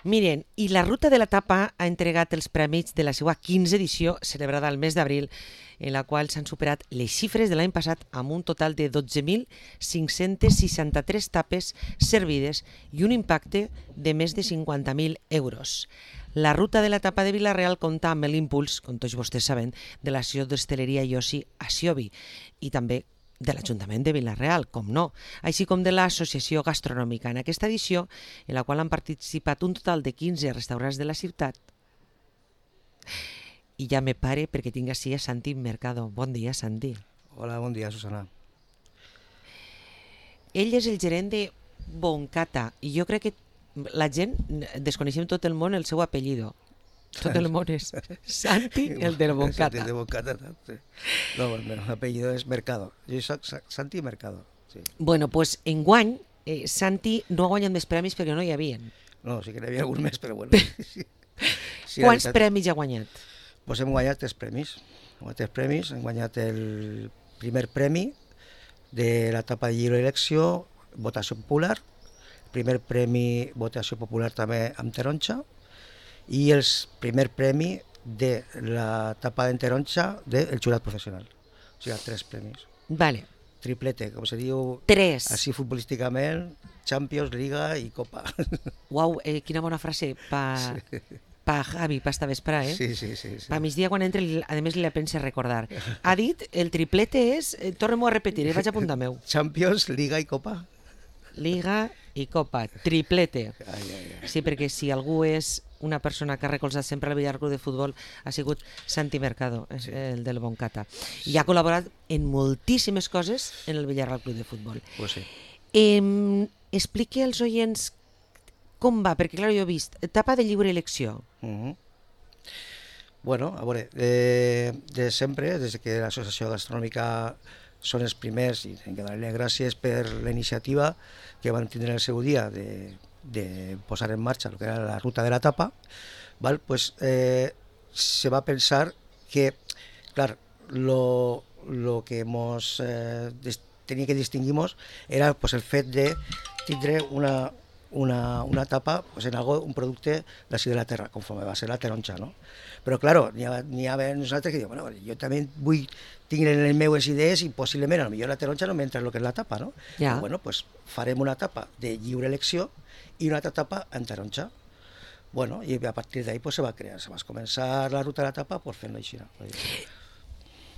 Miren, i la Ruta de la Tapa ha entregat els prèmits de la seva 15ª edició, celebrada al mes d'abril, en la qual s'han superat les xifres de l'any passat amb un total de 12.563 tapes servides i un impacte de més de 50.000 euros. La Ruta de la Tapa de Vila-real compta amb l'impuls, com tots vostès saben, de l'Associació d'Hostaleria i Oci Asiobi i també de l'Ajuntament de Vila-real, com no, així com de l'Associació Gastronòmica. En aquesta edició, en la qual han participat un total de 15 restaurants de la ciutat, i ja me pare perquè tinc així a Santi Mercado. Bon dia, Santi. Hola, bon dia, Susana. Ell és el gerent de Boncata i jo crec que la gent desconeixem tot el món el seu apellido. Tot el món és Santi, el del Boncata. Santi de Boncata, sí. No, el apellido és Mercado. Jo soc Santi Mercado. Sí. Bueno, pues enguany Santi no ha guanyat més premis perquè no hi havia. No, sí que n'hi havia algun més, però bueno. Sí, quants premis ha guanyat? Pues hem guanyat 3 premis. Hem guanyat el primer premi de l'etapa de lliure elecció, votació popular, el primer premi votació popular també amb taronja i el primer premi de l'etapa de taronja del jurat professional. O sigui, 3 premis. Vale. Triplete, com se diu 3. Així futbolísticament, Champions, Liga i Copa. Uau, quina bona frase pa Javi, pa esta vespre, eh? Sí. Pa migdia quan entre, a més li la pense recordar. Ha dit, el triplete és, tornem-ho a repetir, vaig a apuntar meu. Champions, Liga i Copa. Liga i Copa, triplete. Ai. Sí, perquè si algú és una persona que ha recolzat sempre el Villar Club de Futbol ha sigut Santi Mercado, el del Boncata. I ha col·laborat en moltíssimes coses en el Villar Club de Futbol. Pues sí. Expliqui als oients com va, perquè clar, jo he vist etapa de lliure elecció. Bueno, a veure, de sempre, des que l'Associació Gastronòmica són els primers, i hem de donar-li gràcies per la iniciativa que van tindre el seu dia de posar en marxa el que era la ruta de la tapa, val? Pues, se va pensar que, clar, lo que mos tenia que distingir-nos era pues, el fet de tindre una tapa pues, en algo, un producte d'ací de la terra, conforme va ser la taronja, no? Però, clar, n'hi ha nosaltres que diuen, bueno, jo també vull tenir en les meves idees i possiblement, potser la taronja no m'entra en el que és la tapa, no? Ja. Però, bueno, pues, farem una tapa de lliure elecció i una altra tapa en taronja. Bueno, i a partir d'ahí pues, se va crear, se va començar la ruta de la tapa pues, fent-lo així.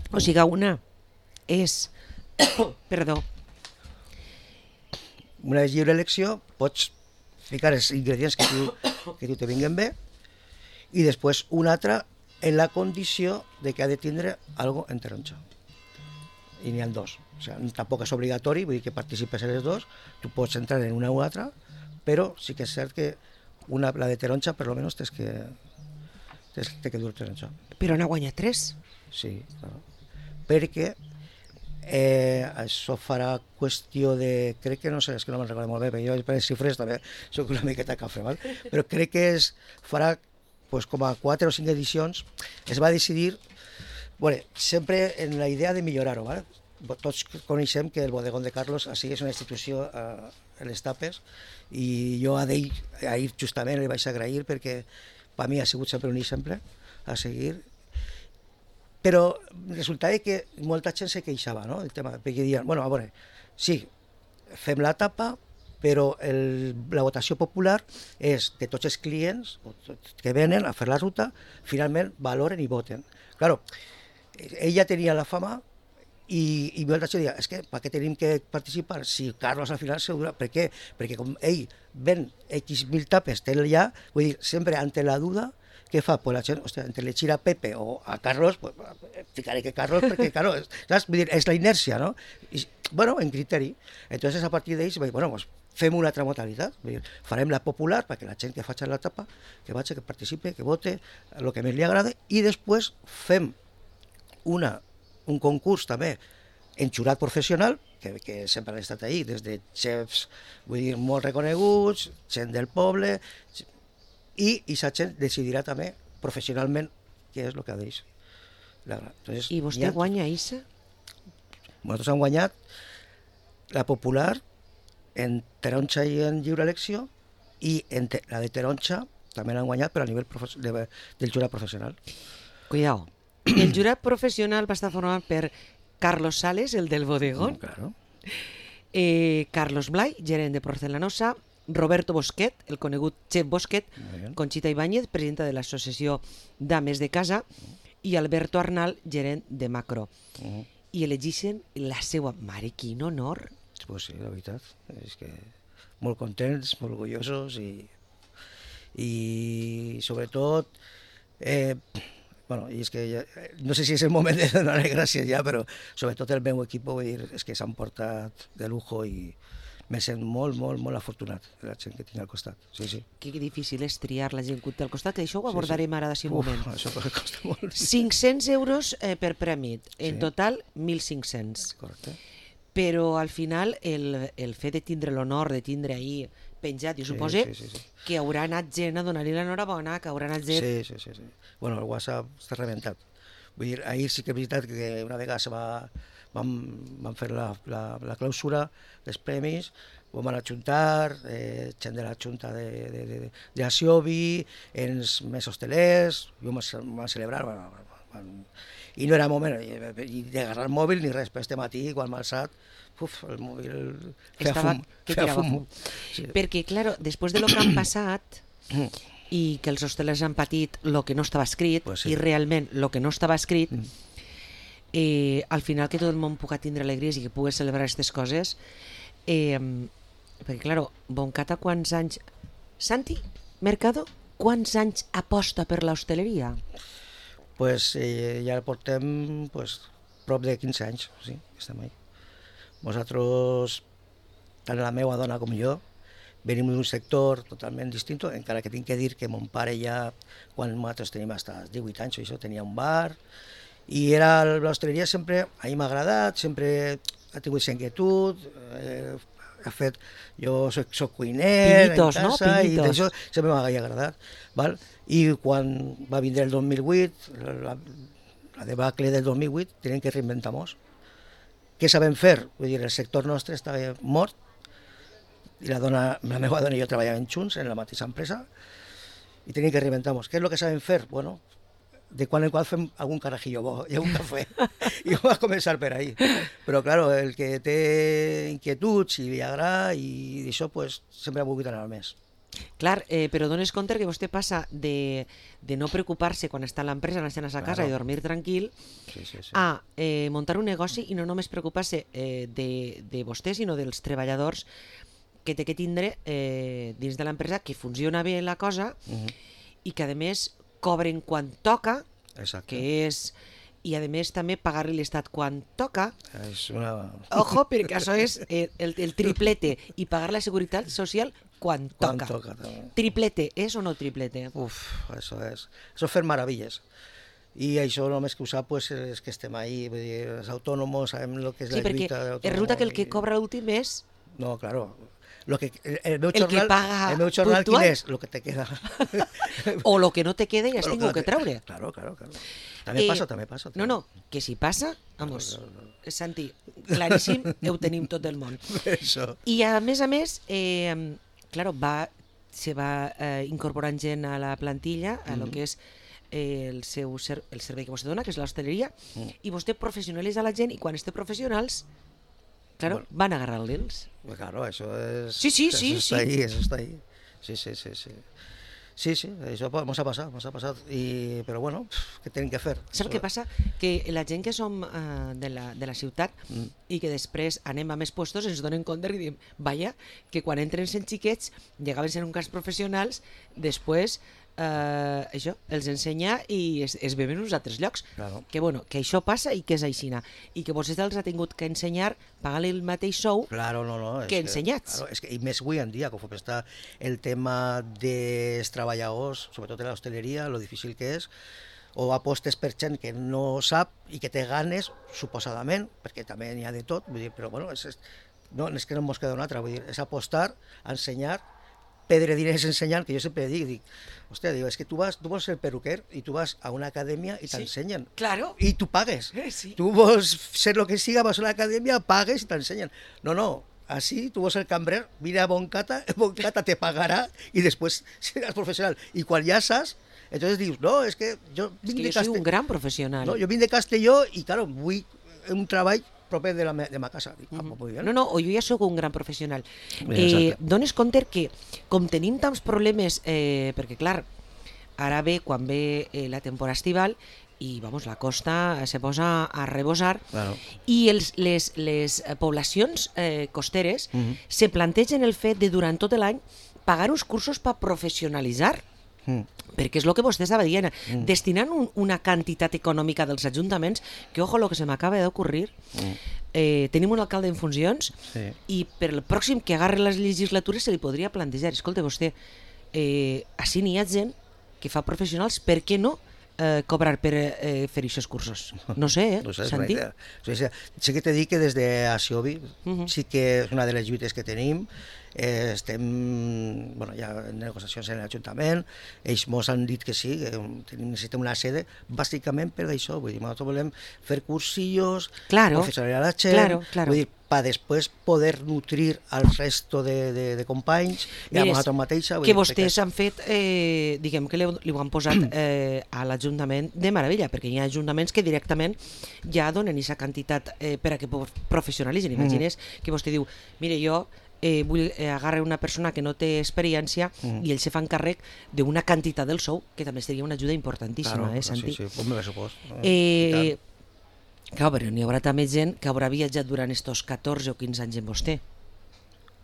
O sigui, una és... Perdó. Una lliure elecció, pots ficar els ingredients que tu te vinguen bé i després una altra en la condició de que ha de tindre algo en taronja. I n'hi ha 2. O sigui, tampoc és obligatori, vull dir que participes en les 2, tu pots entrar en una u altra, però sí que és cert que la de taronja per almenys té que dur taronja. Però n'ha guanyat 3. Sí, clar. Perquè això farà qüestió de... Crec que no sé, és que no me'n recordo molt bé, perquè jo per les xifres també soc una miqueta cafre, val? Però crec que farà pues, com a 4 o 5 edicions. Es va decidir, bueno, sempre en la idea de millorar-ho, val? Tots coneixem que el bodegón de Carlos així és una institució a les tapes i jo ahir justament li vaig agrair perquè per mi ha sigut sempre un exemple a seguir. Però resultava que molta gent se queixava, no? El tema, perquè diuen, bueno, a veure, sí, fem la tapa, però la votació popular és de tots els clients que venen a fer la ruta, finalment valoren i voten. Claro, ella tenia la fama i molta gent deia, és que per què tenim que participar si Carlos al final segura? Per què? Perquè com ell ven X mil tapes, té ja, vull dir, sempre ante la duda, què fa? Pues la gent, hòstia, entre l'eixir a Pepe o a Carlos, pues, ficaré que Carlos, perquè, claro, saps? Vull dir, és la inèrcia, no? I, bueno, en criteri. Entonces, a partir d'ells, bueno, pues, fem una altra modalitat. Vull dir, farem la popular, perquè la gent que faci la tapa, que vagi, que participe, que vote, el que més li agrada, i després fem un concurs també en jurat professional, que sempre han estat ahí, des de xefs, vull dir, molt reconeguts, gent del poble, i aquesta gent decidirà també professionalment què és el que ha d'eix. I vostè guanya Issa? Nosaltres hem guanyat la popular en taronja i en lliure elecció i la de taronja també l'han guanyat, però a nivell del jurat professional. Cuidao. El jurat professional va estar format per Carlos Sales, el del bodegón, Claro. Carlos Blay, gerent de Porcelanosa, Roberto Bosquet, el conegut Chef Bosquet, Muy bien. Conxita Ibáñez, presidenta de l'Associació Dames de Casa, i Alberto Arnal, gerent de Macro. Uh-huh. I elegixen la seva mare. Quin honor! Pues sí, la veritat. És que molt contents, molt orgullosos i sobretot bueno, i és que ja, no sé si és el moment de donar gràcies ja, però sobretot el meu equip, vull dir, és que s'han portat de lujo i me sent molt, molt, molt afortunat de la gent que tinc al costat. Sí, sí. Que difícil és triar la gent que té al costat, que això ho abordarem ara d'ací un moment. Això costa molt. 500 euros per prèmit, en Sí. total 1.500. Correcte. Però al final el fet de tindre l'honor de tindre ahir penjat, jo suposo sí. que haurà anat gent a donar-li l'enhorabona, que haurà anat gent... Sí. Bueno, el WhatsApp està rebentat. Vull dir, ahir sí que és veritat que una vegada vam fer la clausura dels premis, vam anar a juntar, gent de la junta d'Asiobi, els més hostelers, i vam celebrar, i no era moment d'agarrar el mòbil ni res, però este matí, quan m'ha alçat, el mòbil feia fum. Sí. Perquè, clar, després de lo que han passat i que els hostelers han patit el que no estava escrit, Pues sí. i realment el que no estava escrit, al final que tot el món pugui tindre alegries i que pugui celebrar aquestes coses, perquè, clar, Boncata quants anys... Santi Mercado, quants anys aposta per l'hostaleria? Pues ja portem prop de 15 anys, sí, estem ahí. Nosaltres, tant la meva dona com jo, venim d'un sector totalment distint, encara que tinc que dir que mon pare ja, quan nosaltres tenim fins als 18 anys, això tenia un bar, i l'hostaleria sempre, a mi m'ha agradat, sempre ha tingut aquesta inquietud, ha fet, jo soc cuiner Pinitos, en casa, no? i Pinitos. d'això sempre m'ha agradat. Val? I quan va vindre el 2008, la debacle del 2008, tenim que reinventar-nos. Què sabem fer? Vull dir, el sector nostre estava mort, i la meva dona i jo treballàvem junts en la mateixa empresa, i tenim que reinventar-nos. Què és el que sabem fer? Bueno, de quan en qual fem algun carajillo bo i algun cafè. I va començar per ahí. Però, clar, el que té inquietuds i li agrada i d'això, pues, sempre ha volgut anar més. Clar, però dones compte que vostè passa de no preocupar-se quan està a l'empresa, anar a sa casa i dormir tranquil, Sí. a muntar un negoci i no només preocupar-se de vostè, sinó dels treballadors que té que tindre dins de l'empresa, que funciona bé la cosa i que, a més, cobren quan toca, Exacte. que és... I, a més, també pagar-li l'Estat quan toca. És una... Ojo, perquè això és el triplete. I pagar la Seguretat Social quan toca. també. Triplete, és o no triplete? Uf, això és fer meravelles. I això només que ho sap pues, és que estem ahí, vull dir, els autònoms, sabem el que és Sí, la perquè lluita de l'autònom. resulta que el que cobra l'últim és... No, claro. El meu El que jornal, paga el meu jornal puntual. quin és? El que te queda. O lo que no te queda i has tingut que treure. Claro. També passa. No, que si passa, vamos, Santi, claríssim, ho tenim tot el món. Això. I a més, claro, se va incorporant gent a la plantilla, a lo que és el servei que vostè dona, que és l'hostaleria, i vostè professionalitza la gent, i quan té professionals, claro, van a agarrar-los. Claro, això és... Sí. Eso está ahí. Sí, això mos ha passat. Però bueno, què tenim que fer? Saps què passa? Que la gent que som de la ciutat i que després anem a més puestos ens donen compte i diem, vaja, que quan entren sent xiquets, llegaven sent un cas professionals, després això els ensenya i es veuen uns altres llocs. Claro. Que bueno, que això passa i que és aixina. I que vostè els ha tingut que ensenyar, pagar-li el mateix sou Claro, no. que ensenyats. Claro, és que, i més avui en dia, com està el tema dels treballadors, sobretot de l'hostaleria, lo difícil que és, o apostes per gent que no sap i que té ganes, suposadament, perquè també n'hi ha de tot, vull dir, però bueno, és que no mos queda una altra, vull dir, és apostar, ensenyar, perdre diners ensenyant, que jo sempre dic, hòstia, és que tu vols ser perruquer i tu vas a una acadèmia i t'ensenyen. Claro. I tu pagues. Sí. Tu vols ser el que siga, vas a una acadèmia, pagues i t'ensenyen. No, así tú vas el cambrer, mira a Boncata te pagará y después serás profesional. Y cuando ya estás, entonces dius, no, és que jo És vinc que de jo soy un gran professional. No, jo vinc de Castelló i, claro, vull un treball proper de ma casa. Dic, pues muy bien. No, o jo ja sóc un gran professional. Exacte. Dones compte que, com tenim tants problemes, perquè, clar, ara ve, quan ve la temporada estival, i vamos, la costa se posa a rebosar, Claro. i les poblacions costeres se plantegen el fet de, durant tot l'any, pagar uns cursos per professionalitzar, perquè és el que vostè estava dient, destinant una quantitat econòmica dels ajuntaments, que, ojo, el que se m'acaba d'ocorrir, tenim un alcalde en funcions, Sí. i per el pròxim que agarre les legislatures se li podria plantejar, escolta, vostè, així n'hi ha gent que fa professionals, per què no cobrar per fer aquests cursos? No sé, No sé, és una Santi? idea. Sí que t'he dit que des d'Asiobi sí que és una de les lluites que tenim. Estem ja en negociacions en l'Ajuntament, ells ens han dit que sí, que necessitem una sede, bàsicament per això, vull dir, nosaltres volem fer cursillos, Claro, professionalitzar la gent, claro. vull dir, per després poder nutrir al resto de companys i a nosaltres mateixa. Que vostès han fet, diguem que li ho han posat a l'Ajuntament de meravella, perquè hi ha ajuntaments que directament ja donen aquesta quantitat per a que professionalitzen. Imagines que vostè diu, mire, jo vull agarrar una persona que no té experiència i ells se fan càrrec d'una quantitat del sou, que també seria una ajuda importantíssima, Santi? Sí, com me supos. Clar, però n'hi haurà també gent que haurà viatjat durant estos 14 o 15 anys amb vostè.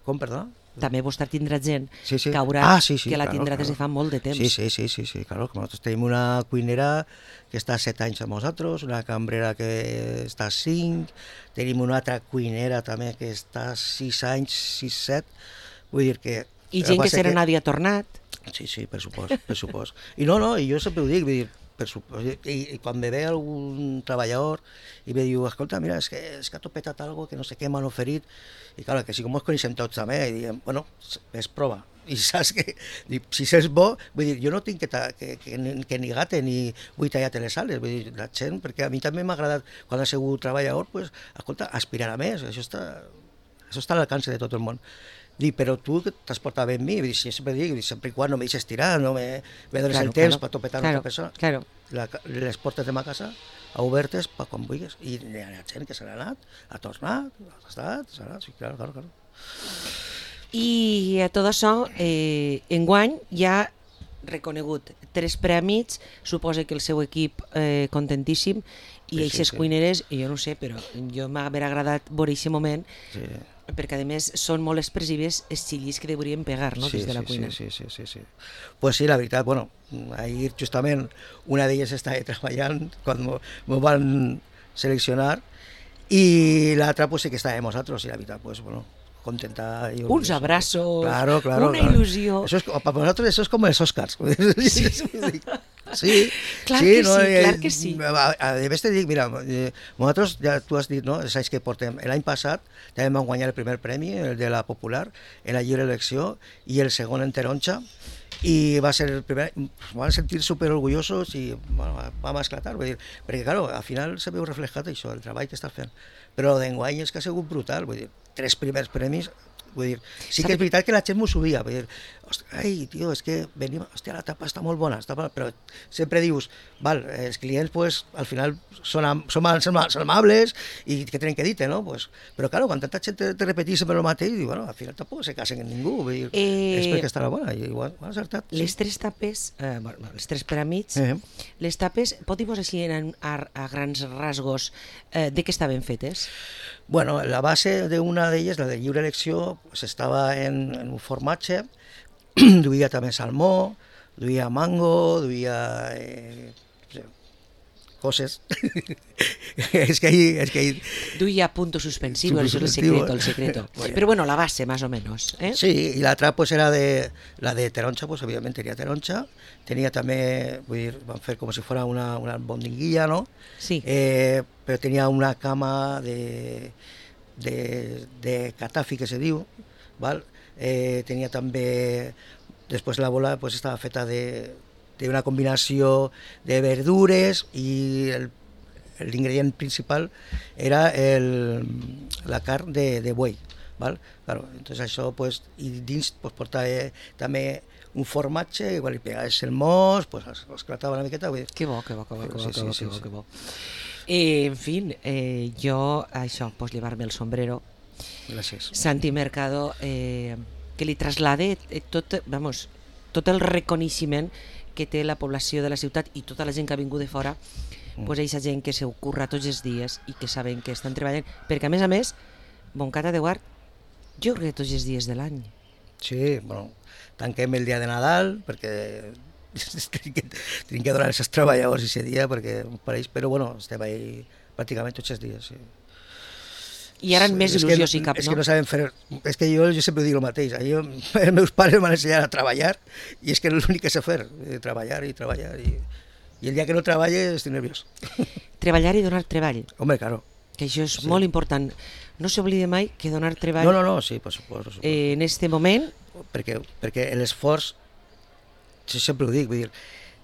Com, perdó? També vostè tindrà gent Sí, sí. que haurà que la claro, tindrà des de claro. fa molt de temps. Sí, claro, que nosaltres tenim una cuinera que està 7 anys amb nosaltres, una cambrera que està 5, tenim una altra cuinera també que està 6 anys, 6-7, vull dir que... I gent que serà Nàdia Tornat. Sí, per supost. I no, i jo sempre ho dic, vull dir, i quan me ve algun treballador i me diu, escolta, mira, és que ha topetat algo que no sé què m'han oferit, i clar, que si com ens coneixem tots també, i diem, bueno, és prova, i saps que si és bo, vull dir, jo no tinc que ni gate ni vull tallar les ales, vull dir, la gent, perquè a mi també m'ha agradat, quan ha sigut treballador, pues, escolta, aspirar a més, això està a l'alcance de tot el món. Dic, però tu t'has portat bé amb mi, vull dir, sempre dic, sempre i quan no me deixes tirar, no me dones el temps per topetar una altra persona. Claro. Les portes de ma casa obertes per quan vulguis, i hi ha gent que se n'ha anat, ha tornat, s'ha anat, sí, claro. I a tot això, enguany ja reconegut 3 prèmits, suposa que el seu equip contentíssim, i aquestes cuineres, jo no sé, però jo m'ha agradat veure aquest moment, perquè a més són molt expressives els xillis que deurien pegar, no?, des de la cuina. Sí. Pues sí, la veritat, bueno, ahir justament una d'elles estava treballant quan m'ho van seleccionar i l'altra pues sí que estava amb nosaltres i la veritat, pues bueno, contenta. Uns abraços, claro, una il·lusió. Eso es, para nosotros eso es como els Oscars. Sí, clar que sí. A més te dic, mira, nosaltres, ja tu has dit, no?, els anys que portem. L'any passat també vam guanyar el primer premi, el de la Popular, en la lliure elecció, i el segon en taronja, i va ser el primer, van sentir superorgullosos i bueno, vam esclatar, vull dir, perquè clar, al final se veu reflejat això, el treball que estàs fent, però d'enguany és que ha sigut brutal, vull dir, 3 primers premis, vull dir, sí que és veritat que la gent m'ho subia, vull dir, ai, tio, és que venim, hòstia, la tapa està molt bona, però sempre dius, val, els clients, pues, al final són amables i que tenen que dir-te, no? Pues, però, clar, quan tanta gent te repetís sempre el mateix, diu, bueno, al final tampoc se casen amb ningú, vull dir, és perquè estarà bona, i igual, ho han acertat. Les 3 tapes, els 3 peràmits, les tapes, pot dir-vos així a grans rasgos de què estaven fetes? Bueno, la base d'una d'elles, la de lliure elecció, pues, estava en un formatge, duia també salmó, duia mango, duia coses. es que ahí... Duia punto suspensivo, eso es el secreto. Pero bueno, la base, más o menos. Sí, y la otra pues era la de taronja, pues obviamente tenía taronja, tenía también, vull dir, van fer com si fuera una albondiguilla, ¿no? Sí. Pero tenía una cama de catafi, que se diu, ¿vale? Tenia també, després la bola pues, estava feta d'una combinació de verdures i l'ingredient principal era la carn de buey, val? Claro, entonces això, pues, i dins pues, portava també un formatge, igual li pegaves el mos, pues, esclatava una miqueta. Vull dir, Que bo, que bo, que bo, que bo, Sí, que bo, sí, que bo, sí. que bo. En fin, jo, això, pues llevar-me el sombrero. gràcies. Santi Mercado, que li traslade tot, vamos, tot el reconeixement que té la població de la ciutat i tota la gent que ha vingut de fora, pues aquesta gent que s'ho curra tots els dies i que saben que estan treballant, perquè a més, Montcada de Guard, jo crec que tots els dies de l'any. Sí, bueno, tanquem el dia de Nadal, perquè tenim que donar els treballadors aquest dia, perquè pareix, però bueno, estem ahí pràcticament tots els dies, sí. I ara més il·lusió si cap, és no? que no sabem fer... És que jo sempre dic el mateix. Els meus pares m'han ensenyat a treballar i és que és l'únic que sé fer, treballar i treballar. I el dia que no treballe estic nerviós. Treballar i donar treball, Home, claro. que això és molt important. No s'oblide mai que donar treball No, sí, per suposo. en este moment, Perquè l'esforç, sempre ho dic, vull dir,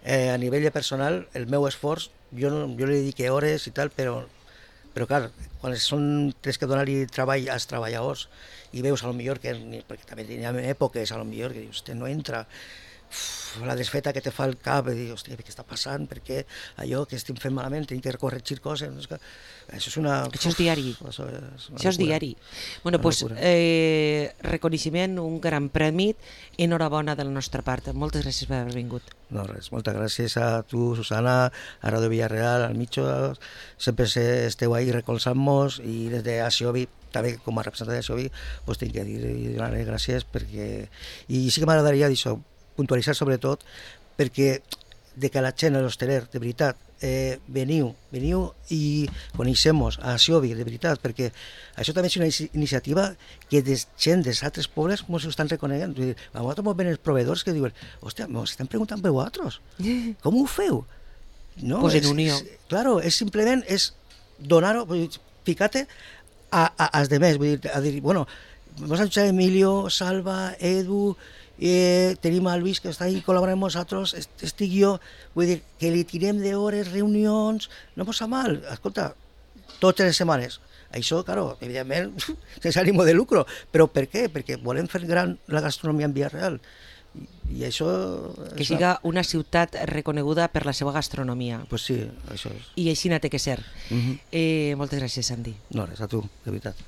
a nivell personal, el meu esforç, jo li dedique hores i tal, però clar, quan tens que donar-li treball als treballadors i veus millor que, perquè també hi ha èpoques millor que dius, no entra, la desfeta que te fa el cap, i dius, hòstia, què està passant, per què allò que estem fent malament, tenim que corregir coses, això és una... això és diari. Això és diari. Bueno, doncs, reconeixement, un gran prèmit, enhorabona de la nostra part. Moltes gràcies per haver vingut. No, res, moltes gràcies a tu, Susana, a Radio Villarreal, al Micho, sempre esteu ahí recolzant-nos i des de Axiobi, també com a representant d'Axiobi, pues, tinc que dir i donar-li gràcies perquè... I sí que m'agradaria d'això, puntualitzar sobretot perquè de que la gent, l'hosteler, de veritat, veniu i coneixem-nos a Axiobi, de veritat, perquè això també és una iniciativa que de gent dels altres pobles ens ho estan reconeguent. A nosaltres ens ven els proveedors que diuen, hòstia, ens estan preguntant per vosaltres, com ho feu? No, pues en unió. Claro, és simplement donar-ho, ficar-te als demés, vull dir, bueno, vamos a escuchar Emilio, Salva, Edu, tenim el Luis que està ahí col·laborant amb nosaltres, estic jo, vull dir, que li tirem d'hores, reunions, no posa mal, escolta, totes les setmanes. Això, claro, evidentment, sense ànim de lucro, però per què? Perquè volem fer gran la gastronomia en Villarreal. I això... Que siga una ciutat reconeguda per la seva gastronomia. Pues sí, això és. I així té que ser. Moltes gràcies, Santi. No, res, a tu, de veritat.